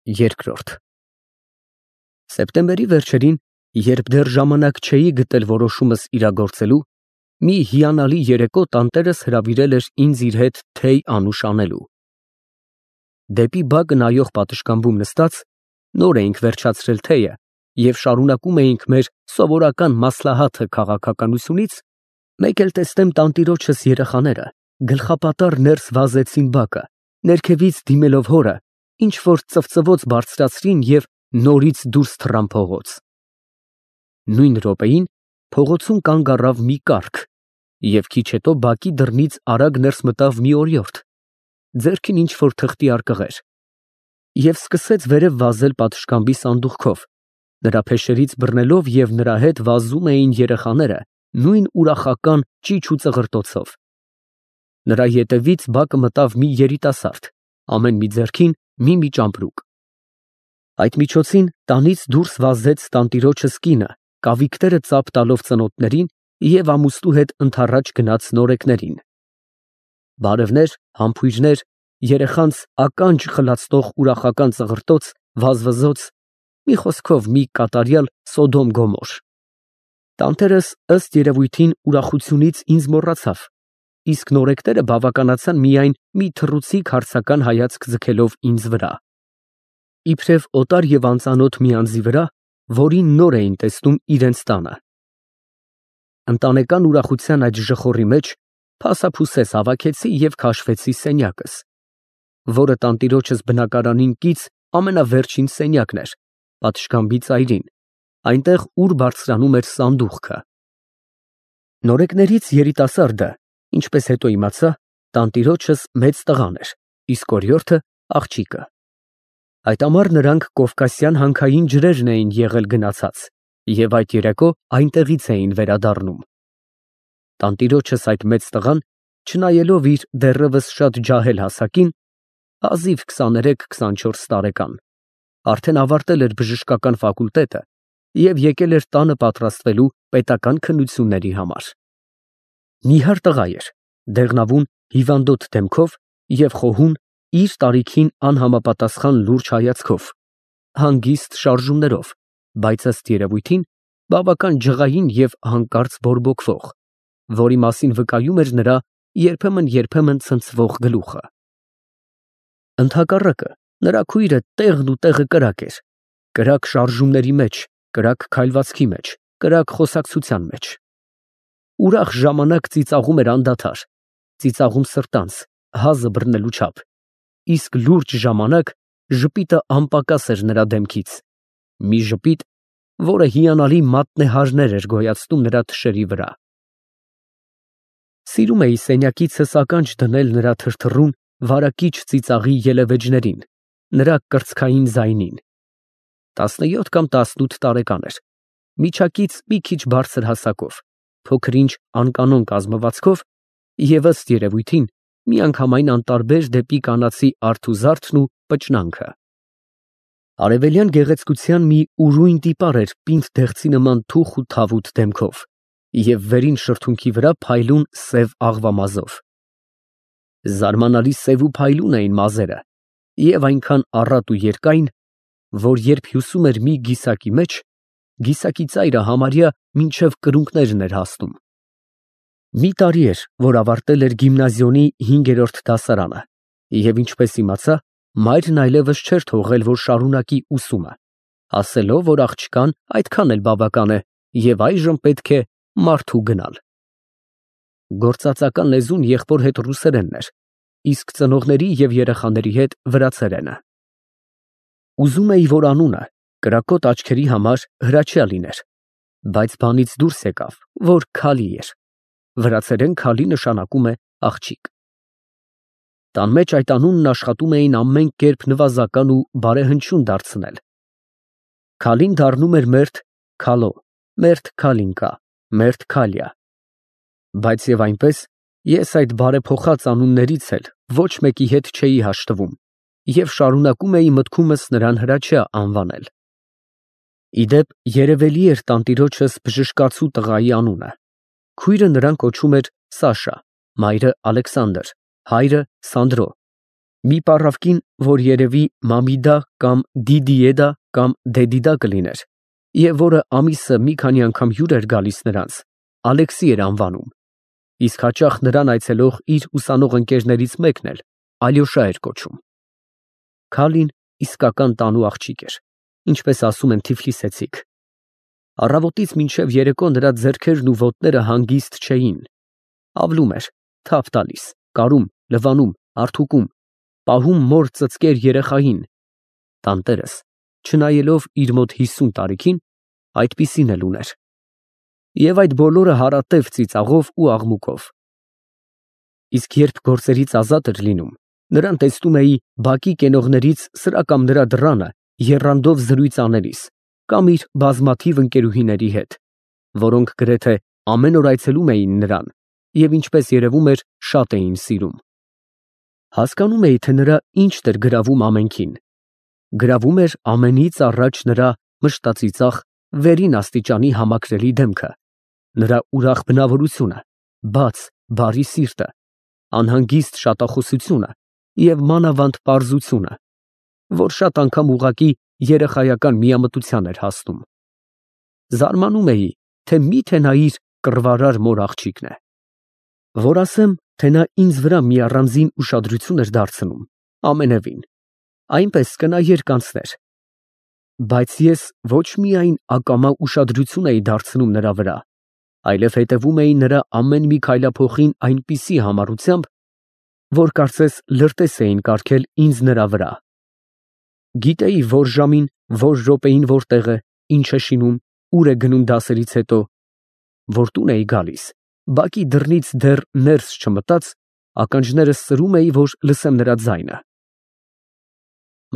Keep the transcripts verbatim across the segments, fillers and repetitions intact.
Երկրորդ Սեպտեմբերի վերջերին, երբ դեռ ժամանակ չէի գտել որոշումս իրագործելու, մի հիանալի երեկո տանտերս հրավիրել էր ինձ իր հետ թեյ անուշ անելու։ Դեպի բակը նայող պատշգամբում նստած, նոր էինք վերջացրել թեյը և շարունակում էինք մեր սովորական մասլահաթը քաղաքականությունից, մեկ էլ տեսնեմ տանտիրոջս երեխաները գլխապատառ ներս վազեցին բակը, ներքևից դիմելով հորը, ինչ֊որ ծվծվոց բարձրացրին և նորից դուրս թռան փողոց։ Նույն րոպեին փողոցում կանգ առավ մի կառք և քիչ հետո բակի դռնից արագ ներս մտավ մի օրիորդ, ձեռքին ինչ֊որ թղթի արկղեր, և սկսեց վերև վազել պատշգամբի սանդուղքով, նրա փեշերից բռնելով, և նրա հետ վազում էին երեխաները նույն ուրախական ճիչ ու ծղրտոցով։ Նրա ետևից բակը մտավ մի երիտասարդ, ամեն մի ձեռքին մի֊մի ճամպրուկ։ Այդ միջոցին տանից դուրս վազեց տանտիրոջս կինը, կավիկները ծափ տալով ծնոտներին և ամուսնու հետ ընդառաջ գնաց նորեկներին։ Բարևներ, համբույրներ, երեխանց ականջ խլացնող ուրախական ծղրտոց, վազվզոց, մի խոսքով մի կատարյալ Սոդոմ Գոմոր։ Տանտերս, ըստ երևույթին, ուրախությունից ինձ մոռացավ, իսկ նորեկները բավականացան միայն մի թռուցիկ հարցական հայացք ձգելով ինձ վրա, իբրև օտար և անծանոթ մի անձի վրա, որին նոր էին տեսնում իրենց տանը։ Ընտանեկան ուրախության այդ ժխորի մեջ փասափուսես հավաքեցի և քաշվեցի սենյակս, որը տանտիրոջս բնակարանին կից ամենավերջին սենյակն էր, պատշգամբի ծայրին, այնտեղ, ուր բարձրանում էր սանդուղքը։ Նորեկներից երիտասարդը, ինչպես հետո իմացա, տանտիրոջս մեծ տղան էր, իսկ օրիորդը աղջիկը։ Այդ ամառ նրանք կովկասյան հանքային ջրերն էին եղել գնացած և այդ երեկո այնտեղից էին վերադառնում։ Տանտիրոջս այդ մեծ տղան, չնայելով իր դեռևս շատ ջահել հասակին, հազիվ քսաներեք քսանչորս տարեկան, արդեն ավարտել էր բժշկական ֆակուլտետը և եկել էր տանը պատրաստվելու պետական քննությունների համար։ Նիհար տղա էր, դեղնավուն, հիվանդոտ դեմքով և խոհուն, իր տարիքին անհամապատասխան լուրջ հայացքով, հանգիստ շարժումներով, բայց ըստ երևույթին բավական ջղային և հանկարծ բորբոքվող, որի մասին վկայում էր նրա երբեմն֊երբեմն ցնցվող գլուխը։ Ընդհակառակը, նրա քույրը տեղն ու տեղը կրակ էր, կրակ շարժումների մեջ, կրակ քայլվածքի մեջ, կրակ խոսակցության մեջ։ Ուրախ ժամանակ ծիծաղում էր անդադար, ծիծաղում սրտանց, հազը բռնելու չափ, իսկ լուրջ ժամանակ ժպիտը անպակաս էր նրա դեմքից, մի ժպիտ, որը հիանալի մատնեհարներ էր գոյացնում նրա թշերի վրա։ Սիրում էի սենյակիցս ականջ դնել նրա թրթռուն, վարակիչ ծիծաղի ելևէջներին, նրա կրծքային ձայնին։ Տասնյոթ կամ տասնութ տարեկան էր, միջակից մի քիչ բարձր հասակով, փոքր֊ինչ անկանոն կազմվածքով և, ըստ երևույթին, միանգամայն անտարբեր դեպի կանացի արթուզարդն ու պճնանքը։ Արևելյան գեղեցկության մի ուրույն տիպար էր պինդ դեղցի նման թուխ ու թավուտ դեմքով և վերին շրթունքի վրա փայլուն սև աղվամազով։ Զարմանալի սև ու փայլուն էին մազերը և այնքան առատ ու երկայն, որ երբ հյուսում էր մի գիսակի մեջ, գիսակի ծայրը համարյա մինչև կրունկներն էր հասնում։ Մի տարի էր, որ ավարտել էր գիմնազիոնի հինգերորդ դասարանը և, ինչպես իմացա, մայրն այլևս չէր թողել, որ շարունակի ուսումը, ասելով, որ աղջկան այդքան էլ բավական է և այժմ պետք է մարդու գնալ։ Գործածական լեզուն եղբոր հետ ռուսերենն էր, իսկ ծնողների և երեխաների հետ վրացերենը։ Ուզում էի, որ անունը կրակոտ աչքերի համար Հրաչյա լիներ, բայց բանից դուրս եկավ, որ Քալի էր, վրացերեն Քալի նշանակում է աղջիկ։ Տան մեջ այդ անունն աշխատում էին ամեն կերպ նվազական ու բարեհնչյուն դարձնել։ Քալին դառնում էր մերթ Քալո, մերթ Քալինկա, մերթ Քալյա։ Բայց և այնպես, ես այդ բարեփոխած անուններից էլ ոչ մեկի հետ չէի հաշտվում և շարունակում էի մտքումս նրան Հրաչյա անվանել։ Ի դեպ, երևելի էր տանտիրոջս բժշկացու տղայի անունը, քույրը նրան կոչում էր Սաշա, մայրը՝ Ալեքսանդր, հայրը՝ Սանդրո, Մի պառավկին, որ երևի Մամիդա կամ Դիդիեդա կամ Դեդիդա կլիներ, և որը ամիսը մի քանի անգամ հյուր էր գալիս նրանց, Ալեքսի էր անվանում, իսկ հաճախ նրան այցելող իր ուսանող ընկերներից մեկն էլ Ալյոշա էր կոչում։ Քալին իսկական տանու աղջիկ էր, ինչպես ասում են թիֆլիսեցիք։ Առավոտից մինչև երեկո նրա ձեռքերն ու ոտները հանգիստ չէին, ավլում էր, թափ տալիս, կարում, լվանում, հարթուկում, պահում մոր ծծկեր երեխային, տանտերս, չնայելով իր մոտ հիսուն տարիքին, այդպիսին էլ ուներ։ Եվ այդ բոլորը հարատև ծիծաղով ու աղմուկով։ Իսկ երբ գործերից ազատ էր լինում, նրան տեսնում էի բակի կենողներից սրա կամ նրա դռանը եռանդով զրույց անելիս, կամ իր բազմաթիվ ընկերուհիների հետ, որոնք գրեթե ամեն օր այցելում էին նրան և ինչպես երևում էր, շատ էին սիրում։ Հասկանում էի, թե նրա ինչն էր գրավում ամենքին։ Գրավում էր ամենից առաջ նրա մշտածիծաղ, վերին աստիճանի համակրելի դեմքը, նրա ուրախ բնավորությունը, բաց, բարի սիրտը, անհանգիստ շատախոսությունը և մանավանդ պարզությունը, որ շատ անգամ ուղղակի երեխայական միամտության էր հասնում։ Զարմանում էի, թե միթե նա իր կռվարար մոր աղջիկն է։ Որ ասեմ, թե նա ինձ վրա մի առանձին ուշադրություն էր դարձնում, ամենևին, այնպես կնայեր կանցներ, բայց ես ոչ միայն ակամա ուշադրություն էի դարձնում նրա վրա, այլև հետևում էի նրա ամեն մի քայլափոխին այնպիսի համառությամբ, որ կարծես լրտես էին կառքել ինձ նրա վրա։ Գիտեի որ ժամին, որ րոպեին որտեղ է, ինչ է շինում, ուր է գնում դասերից հետո, որ տուն էի գալիս, բակի դռնից դեռ ներս չմտած, ականջներս սրում էի, որ լսեմ նրա ձայնը։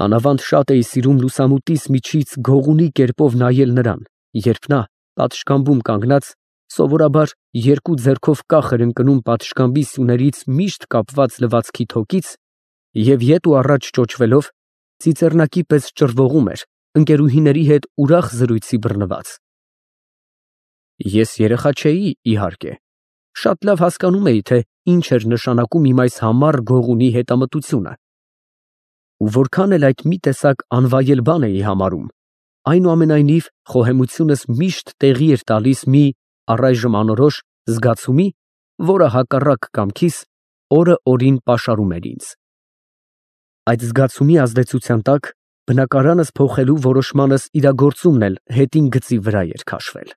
Մանավանդ շատ էի սիրում լուսամուտիս միջից գողունի կերպով նայել նրան, երբ նա, պատշգամբում կանգնած, սովորաբար երկու ձեռքով կախ էր ընկնում պատշգամբի սյուներից միշտ կապված լվացքի թոկից և ետ ու առաջ ճոճվելով, ծիծեռնակի պես ճռվողում էր, ընկերուհիների հետ ուրախ զրույցի բռնված։ Ես երեխա չէի, իհարկե, շատ լավ հասկանում էի, թե ինչ էր նշանակում իմ այս համառ գողունի հետամտությունը, ու որքան էլ այդ մի տեսակ անվայել բան էի համարում, այնուամենայնիվ խոհեմությունս միշտ տեղի էր տալիս մի, առայժմ անորոշ, զգացումի, որը հակառակ կամքիս օրը օրին պաշարում էր ինձ։ Այդ զգացումի ազդեցության տակ բնակարանս փոխելու որոշմանս իրագործումն էլ հետին գծի վրա էր քաշվել։